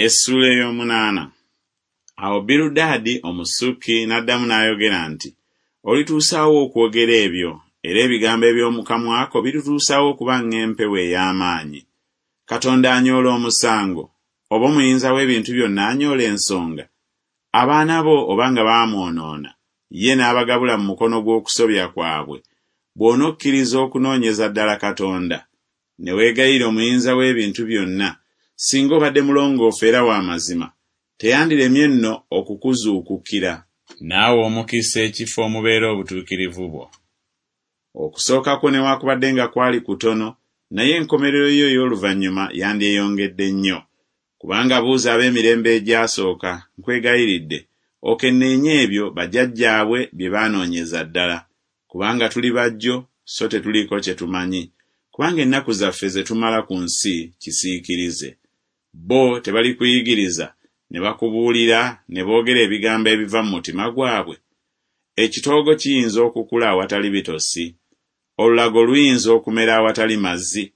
Essuula ey'omunaana. Awo Birudaadi Omusuki n'addamu n'ayogera nti, Olituusa wa okwogera ebyo, era ebigambo eby'omu kamwa ko birituusa wa okuba ng'empewo ey'amaanyi? Katonda anyoola omusango, oba Omuyinza w'ebintu byonna anyoola ensonga? Abaana bo oba nga baamwonoona, ye n'abagabula mu mukono gw'okusobya kwabwe, bw'onokkiriza okunoonyeza ddala Katonda, ne weegayirira Omuyinza w'ebintu byonna, singa obadde mulongoofu era wa mazima, teyandiremye nno okukuzuukukira, n'awa omukisa ekifo omubeera obutuukirivu bwo. Okusooka kwo newaakubadde nga kwali kutono, naye enkomerero yo ey'oluvannyuma yandyeyongedde nnyo. Kubanga buuza ab'emirembe egyasooka, nkwegayiridde, okenneenye ebyo bajjajjaabwe bye baanoonyeza ddala, kubanga tuli bajjo so tetuliiko kye tumanyi, kubanga ennaku zaffe ze tumala ku nsi kisiikirize. Bo tebalikuyigiriza ne bakubuulira ne boogera ebigambo ebiva mu mutima gwabwe? Ekitoogo kiyinza okukula awatali bitosi? Olulago luyinza okumera awatali mazzi?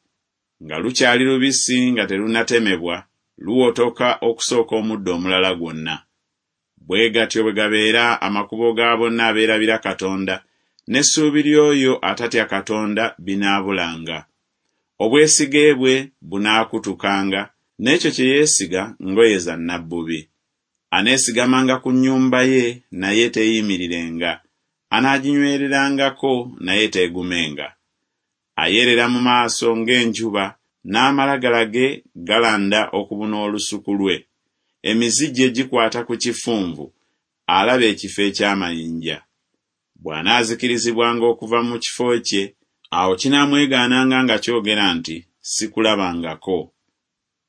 Nga lukyali lubisi nga terunnatemebwa, luwotoka okusooka omuddo omulala gwonna. Bwe gatyo bwe gabeera amakubo ga bonna abeerabira Katonda, n'essuubi ly'oyo atatya Katonda binaabulanga. Obwesige bwe bunaakutukanga, n'ekyo kye yeesiga ngoye za nnabbubi. Aneesigamanga ku nnyumba ye, naye teeyimirirenga, anaaginywererangako, naye teegumenga. Ayerera mu maaso ng'enjuba, n'amalagala ge galanda okubuna olusuku lwe. Emizi gye gikwata ku kifunvu, alaba ekifo eky'amayinja. Bw'anaazikirizibwanga okuva mu kifo kye, awo kinaamwegaananga nga kyogera nti Sikulabangako.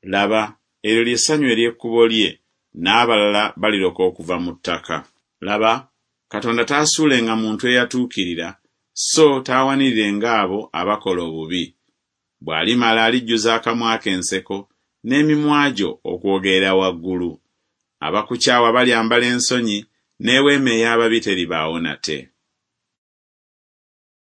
Laba, eryo lye ssanyu ery'ekkubo lye, n'abalala baliroka okuva mu ttaka. Laba, Katonda taasuulenga muntu eyatuukirira, so taawanirirenga abo abakola obubi. Bw'alimala alijjuza akamwa ke enseko, n'emimwa gyo okwogerera waggulu. Abakukyawa balyambala ensonyi, n'eweema ey'ababi teribaawo nate.